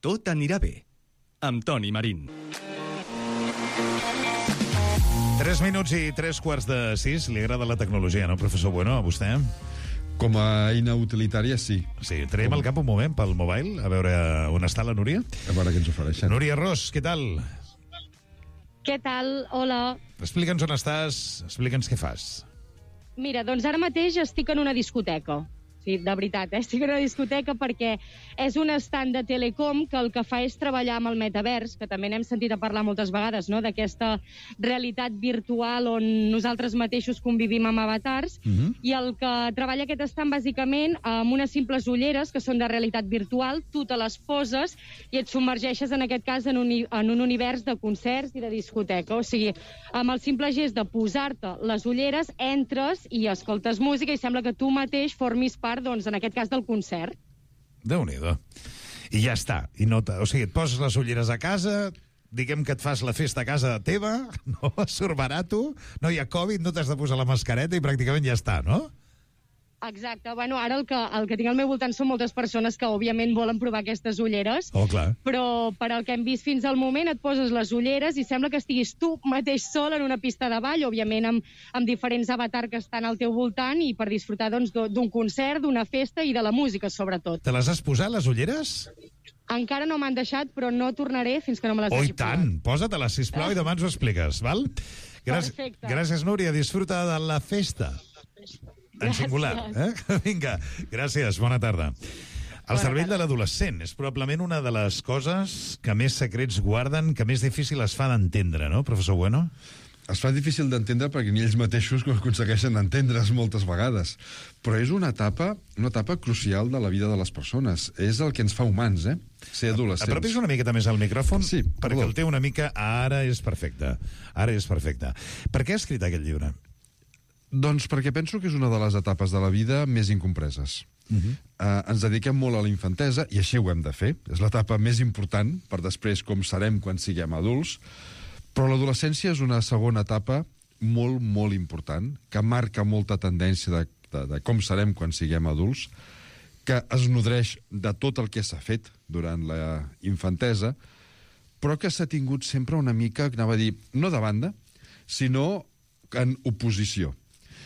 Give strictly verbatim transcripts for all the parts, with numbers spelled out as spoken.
Tot anirà bé. Amb Toni Marín. Tres minuts i tres quarts de sis. Li agrada la tecnologia, no, professor Bueno, a vostè? Com a eina utilitària, sí. Sí, traiem el cap un moment pel mobile, a veure on està la Núria. A veure què ens ofereixen. Núria Ros, què tal? Què tal? Hola. Explica'ns on estàs, explica'ns què fas. Mira, doncs ara mateix estic en una discoteca. Sí, de veritat, eh? Estic en una discoteca perquè és un estand de Telecom que el que fa és treballar amb el metavers, que també n'hem sentit a parlar moltes vegades, no?, d'aquesta realitat virtual on nosaltres mateixos convivim amb avatars, uh-huh. i el que treballa aquest estand bàsicament amb unes simples ulleres que són de realitat virtual, tu te les poses i et submergeixes en aquest cas en un, en un univers de concerts i de discoteca. O sigui, amb el simple gest de posar-te les ulleres, entres i escoltes música i sembla que tu mateix formis part, doncs, en aquest cas, del concert. Déu-n'hi-do. I ja està. I no o sigui, et poses les ulleres a casa, diguem que et fas la festa a casa teva, no? Surt barato, no hi ha Covid, no t'has de posar la mascareta i pràcticament ja està, no? Exacte. Bueno, ara el que, el que tinc al meu voltant són moltes persones que, òbviament, volen provar aquestes ulleres. Oh, clar. Però, per al que hem vist fins al moment, et poses les ulleres i sembla que estiguis tu mateix sol en una pista de ball, òbviament amb, amb diferents avatars que estan al teu voltant i per disfrutar, doncs, d'un concert, d'una festa i de la música, sobretot. Te les has posat, les ulleres? Encara no m'han deixat, però no tornaré fins que no me les oh, hagi posat. Oh, i tant! Posa-te-les, sisplau, i demà ens ho expliques, val? Gràcies, Perfecte. Gràcies, Núria. Disfruta de la festa. En singular, eh? Vinga, gràcies, bona tarda. El cervell de l'adolescent és probablement una de les coses que més secrets guarden, que més difícil es fa d'entendre, no, professor Bueno? Es fa difícil d'entendre perquè ni ells mateixos aconsegueixen entendre's moltes vegades. Però és una etapa, una etapa crucial de la vida de les persones. És el que ens fa humans, eh? Ser adolescents. Apropis una miqueta més al micròfon, sí, perquè perdó. el té una mica... Ara és perfecte. Ara és perfecte. Per què ha escrit aquest llibre? Doncs perquè penso que és una de les etapes de la vida més incompreses. Uh-huh. Uh, ens dediquem molt a la infantesa, i així ho hem de fer. És l'etapa més important, per després com serem quan siguem adults. Però l'adolescència és una segona etapa molt, molt important, que marca molta tendència de, de, de com serem quan siguem adults, que es nodreix de tot el que s'ha fet durant la infantesa, però que s'ha tingut sempre una mica, anava a dir, no de banda, sinó en oposició.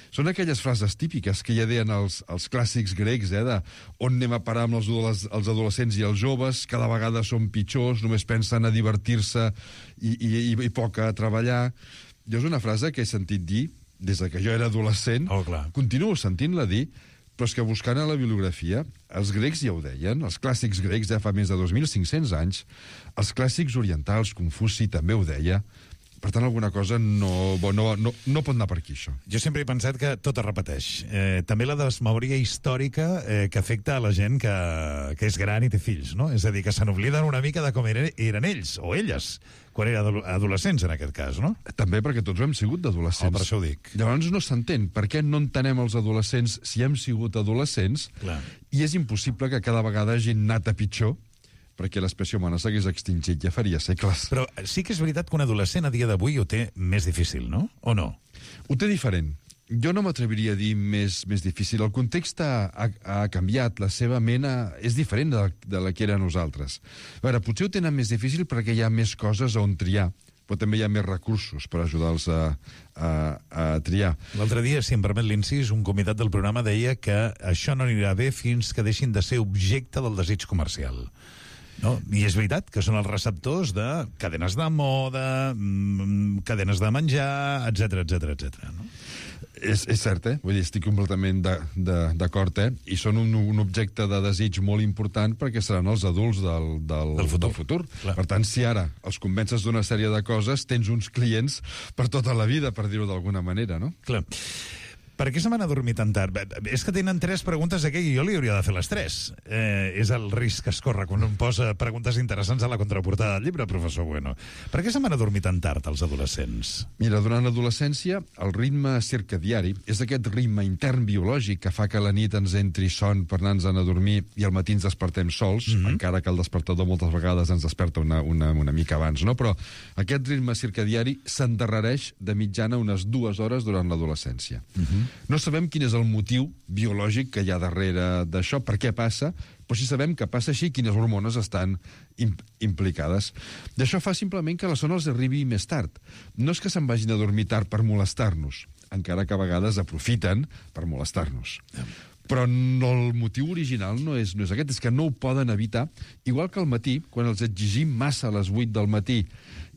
Són aquelles frases típiques que ja deien els, els clàssics grecs, eh, de on anem a parar amb els, els adolescents i els joves, cada vegada són pitjors, només pensen a divertir-se i, i, i, i poc a treballar. Jo és una frase que he sentit dir des que jo era adolescent, oh, clar. Continuo sentint-la dir, però és que buscant a la bibliografia, els grecs ja ho deien, els clàssics grecs ja fa més de dos mil cinc-cents anys, els clàssics orientals, Confuci també ho deia. Per tant, alguna cosa no, no, no, no pot anar per aquí, això. Jo sempre he pensat que tot es repeteix. Eh, també la desmemòria històrica eh, que afecta a la gent que, que és gran i té fills, no? És a dir, que se n'obliden una mica de com eren, eren ells, o elles, quan eren adolescents, en aquest cas, no? També perquè tots ho hem sigut d'adolescents. Oh, per això ho dic. Llavors no s'entén. Per què no entenem els adolescents si hem sigut adolescents? Clar. I és impossible que cada vegada hagin anat a pitjor, perquè l'espècie humana s'hagués extingit ja faria segles. Però sí que és veritat que un adolescent a dia d'avui ho té més difícil, no? O no? Ho té diferent. Jo no m'atreviria a dir més, més difícil. El context ha, ha, ha canviat, la seva mena és diferent de, de la que era nosaltres. A veure, potser ho tenen més difícil perquè hi ha més coses on triar, però també hi ha més recursos per ajudar-los a, a, a triar. L'altre dia, si em permet l'incís, un convidat del programa deia que això no anirà bé fins que deixin de ser objecte del desig comercial. No? I és veritat que són els receptors de cadenes de moda, mmm, cadenes de menjar, etc etc etc. No? És, és cert, eh? Vull dir, estic completament d'acord, eh? I són un, un objecte de desig molt important perquè seran els adults del, del, del futur. Del futur. Clar. Per tant, si ara els convences d'una sèrie de coses, tens uns clients per tota la vida, per dir-ho d'alguna manera, no? Clar. Per què se m'han adormit tan tard? És que tenen tres preguntes aquí i jo li hauria de fer les tres. Eh, és el risc que es corre quan un posa preguntes interessants a la contraportada del llibre, professor Bueno. Per què se m'han adormit tan tard els adolescents? Mira, durant l'adolescència, el ritme circadiari és aquest ritme intern biològic que fa que a la nit ens entri son per anar-nos a dormir i al matí ens despertem sols, mm-hmm. encara que el despertador moltes vegades ens desperta una, una, una mica abans, no? Però aquest ritme circadiari s'endarrereix de mitjana unes dues hores durant l'adolescència. Mm-hmm. No sabem quin és el motiu biològic que hi ha darrere d'això, per què passa, però sí sabem que passa així, quines hormones estan imp implicades. I això fa simplement que la son els arribi més tard. No és que se'n vagin a dormir tard per molestar-nos, encara que a vegades aprofiten per molestar-nos. Però no, el motiu original no és, no és aquest, és que no ho poden evitar. Igual que al matí, quan els exigim massa a les vuit del matí,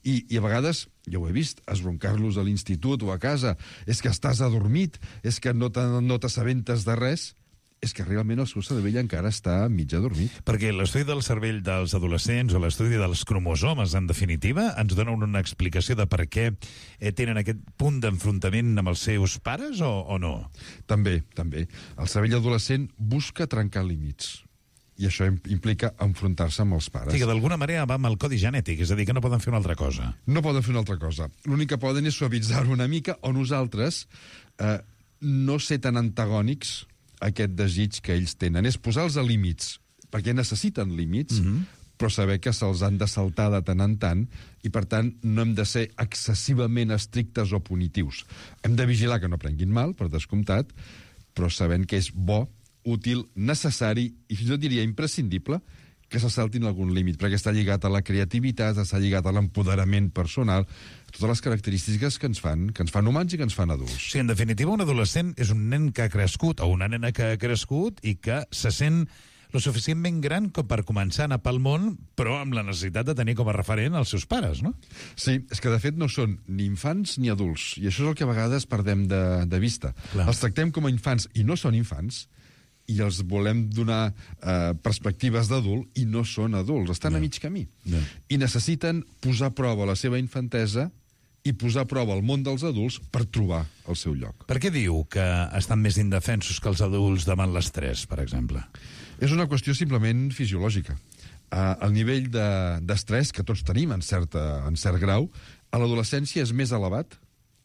i, i a vegades, ja ho he vist, esbroncar-los a l'institut o a casa, és que estàs adormit, és que no t'assabentes de res, és que realment el seu cervell encara està mig adormit. Perquè l'estudi del cervell dels adolescents o l'estudi dels cromosomes, en definitiva, ens dona una explicació de per què tenen aquest punt d'enfrontament amb els seus pares o, o no? També, també. El cervell adolescent busca trencar límits. I això implica enfrontar-se amb els pares. Sí, que d'alguna manera va amb el codi genètic, és a dir, que no poden fer una altra cosa. No poden fer una altra cosa. L'únic que poden és suavitzar-ho una mica, o nosaltres eh, no ser tan antagònics aquest desig que ells tenen. És posar-los a límits, perquè necessiten límits, mm-hmm. però saber que se'ls han de saltar de tant en tant, i per tant no hem de ser excessivament estrictes o punitius. Hem de vigilar que no prenguin mal, per descomptat, però sabent que és bo, útil, necessari, i fins i tot diria imprescindible, que se saltin algun límit, perquè està lligat a la creativitat, està lligat a l'empoderament personal, totes les característiques que ens fan que ens fan humans i que ens fan adults. Sí, en definitiva, un adolescent és un nen que ha crescut, o una nena que ha crescut, i que se sent lo suficientment gran com per començar a anar pel món, però amb la necessitat de tenir com a referent els seus pares, no? Sí, és que de fet no són ni infants ni adults, i això és el que a vegades perdem de, de vista. Clar. Els tractem com a infants, i no són infants, i els volem donar eh, perspectives d'adult i no són adults, estan no. a mig camí. No. I necessiten posar a prova la seva infantesa i posar a prova el món dels adults per trobar el seu lloc. Per què diu que estan més indefensos que els adults davant l'estrès, per exemple? És una qüestió simplement fisiològica. Uh, el nivell d'estrès de, que tots tenim en, certa, en cert grau, a l'adolescència és més elevat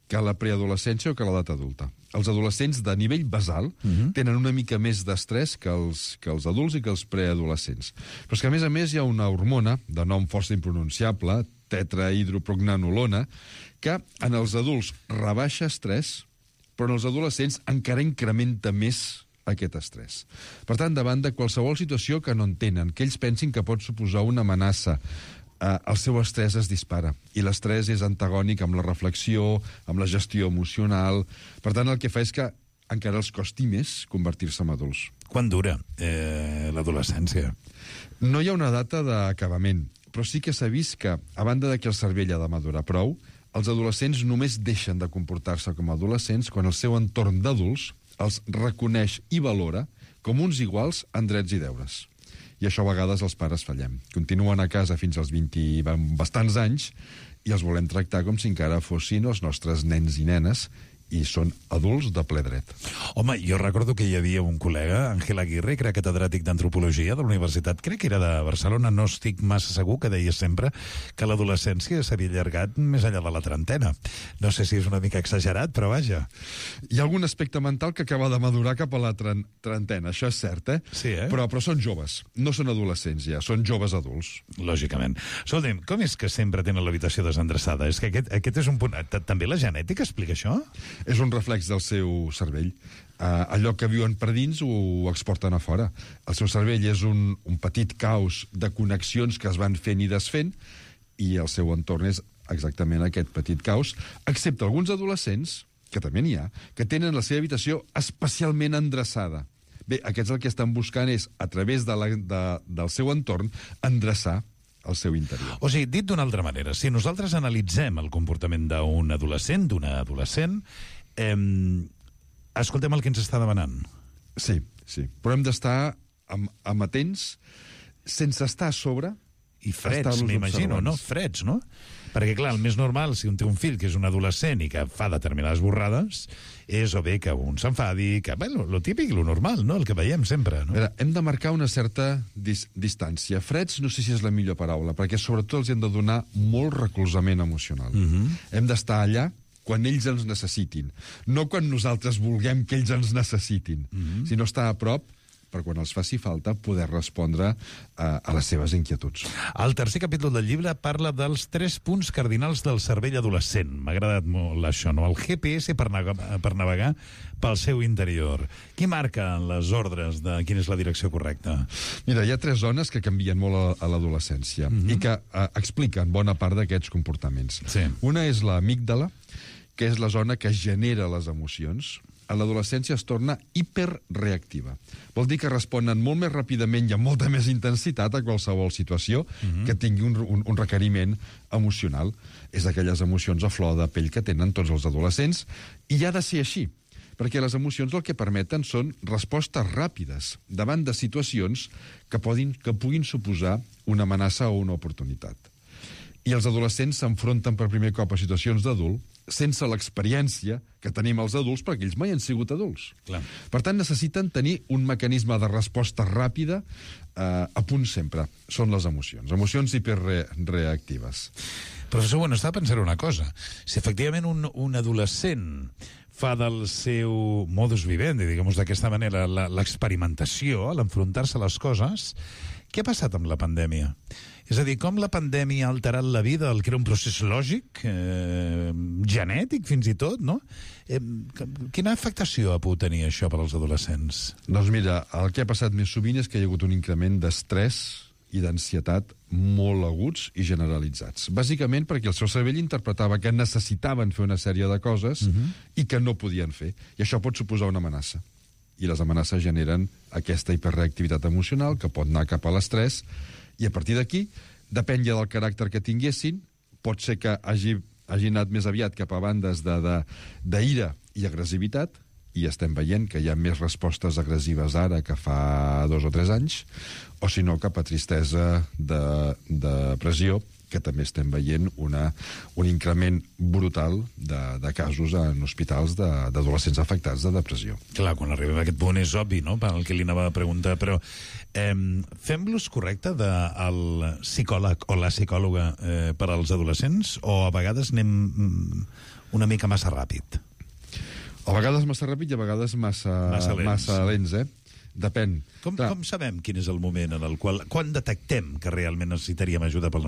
que a la preadolescència o que a l'edat adulta. Els adolescents de nivell basal uh-huh. tenen una mica més d'estrès que, els, que els adults i que els preadolescents. Però és que, a més a més, hi ha una hormona de nom força impronunciable, tetrahidroprognanolona, que en els adults rebaixa estrès, però en els adolescents encara incrementa més aquest estrès. Per tant, davant de qualsevol situació que no entenen, que ells pensin que pot suposar una amenaça, eh, el seu estrès es dispara. I l'estrès és antagònic amb la reflexió, amb la gestió emocional. Per tant, el que fa és que encara els costi més convertir-se en adults. Quan dura eh, l'adolescència? No hi ha una data d'acabament, però sí que s'ha vist que, a banda de que el cervell ha de madurar prou, els adolescents només deixen de comportar-se com a adolescents quan el seu entorn d'adults els reconeix i valora com uns iguals en drets i deures. I això a vegades els pares fallem. Continuen a casa fins als vint i bastants anys i els volem tractar com si encara fossin els nostres nens i nenes, i són adults de ple dret. Home, jo recordo que hi havia un col·lega, Àngel Aguirre, que era catedràtic d'antropologia de la universitat, crec que era de Barcelona, no estic massa segur, que deia sempre que l'adolescència s'havia allargat més enllà de la trentena. No sé si és una mica exagerat, però vaja. Hi ha algun aspecte mental que acaba de madurar cap a la trentena, això és cert, eh? Sí, eh? Però, però són joves, no són adolescents ja, són joves adults. Lògicament. Escolta'm, com és que sempre tenen l'habitació desendreçada? És que aquest, aquest és un punt... També la genètica explica això? És un reflex del seu cervell. Uh, allò que viuen per dins ho exporten a fora. El seu cervell és un, un petit caos de connexions que es van fent i desfent, i el seu entorn és exactament aquest petit caos, excepte alguns adolescents, que també n'hi ha, que tenen la seva habitació especialment endreçada. Bé, aquests el que estan buscant és, a través de la, de, del seu entorn, endreçar el seu interior. O sigui, dit d'una altra manera, si nosaltres analitzem el comportament d'un adolescent, d'una adolescent, eh, escoltem el que ens està demanant. Sí, sí. Però hem d'estar am amatents, sense estar a sobre. I freds, m'imagino, no? Freds, no? Perquè, clar, el més normal, si un té un fill que és un adolescent i que fa determinades borrades, és o bé que un s'enfadi, que, bé, lo típic, lo normal, no? El que veiem sempre, no? Veure, hem de marcar una certa dis distància. Freds no sé si és la millor paraula, perquè sobretot els hem de donar molt recolzament emocional. Uh-huh. Hem d'estar allà quan ells ens necessitin, no quan nosaltres vulguem que ells ens necessitin, uh-huh. sinó estar a prop per quan els faci falta poder respondre uh, a les seves inquietuds. El tercer capítol del llibre parla dels tres punts cardinals del cervell adolescent. M'ha agradat molt això, no? El G P S per, navegar, per navegar pel seu interior. Qui marca les ordres de quina és la direcció correcta? Mira, hi ha tres zones que canvien molt a, a l'adolescència mm-hmm. i que uh, expliquen bona part d'aquests comportaments. Sí. Una és l'amígdala, que és la zona que genera les emocions. A l'adolescència es torna hiperreactiva. Vol dir que responen molt més ràpidament i amb molta més intensitat a qualsevol situació mm-hmm. que tingui un, un, un requeriment emocional. És aquelles emocions a flor de pell que tenen tots els adolescents i ha de ser així, perquè les emocions el que permeten són respostes ràpides davant de situacions que, podin, que puguin suposar una amenaça o una oportunitat. I els adolescents s'enfronten per primer cop a situacions d'adult sense l'experiència que tenim els adults, perquè ells mai han sigut adults. Clar. Per tant, necessiten tenir un mecanisme de resposta ràpida eh, a punt sempre. Són les emocions. Emocions hiperreactives. Professor, bueno, estava pensant una cosa. Si efectivament un, un adolescent fa del seu modus vivendi, diguem-ho d'aquesta manera, l'experimentació, l'enfrontar-se a les coses, què ha passat amb la pandèmia? És a dir, com la pandèmia ha alterat la vida, el que era un procés lògic, eh, genètic fins i tot, no? Eh, quina afectació ha pogut tenir això per als adolescents? Doncs mira, el que ha passat més sovint és que hi ha hagut un increment d'estrès i d'ansietat molt aguts i generalitzats. Bàsicament perquè el seu cervell interpretava que necessitaven fer una sèrie de coses uh-huh. i que no podien fer. I això pot suposar una amenaça. I les amenaces generen aquesta hiperreactivitat emocional que pot anar cap a l'estrès. I a partir d'aquí, depèn ja del caràcter que tinguessin, pot ser que hagi, hagi anat més aviat cap a bandes d'ira i agressivitat, i estem veient que hi ha més respostes agressives ara que fa dos o tres anys, o si no cap a tristesa, de, de depressió, que també estem veient una, un increment brutal de, de casos en hospitals d'adolescents afectats de depressió. Clar, quan arribem a aquest punt és obvi, no?, pel que li anava a preguntar, però eh, fem l'ús correcte del psicòleg o la psicòloga eh, per als adolescents, o a vegades anem una mica massa ràpid? A vegades massa ràpid i a vegades massa, massa lents, massa lents eh? Depèn. Com, com sabem quin és el moment en el qual... Quan detectem que realment necessitaríem ajuda pel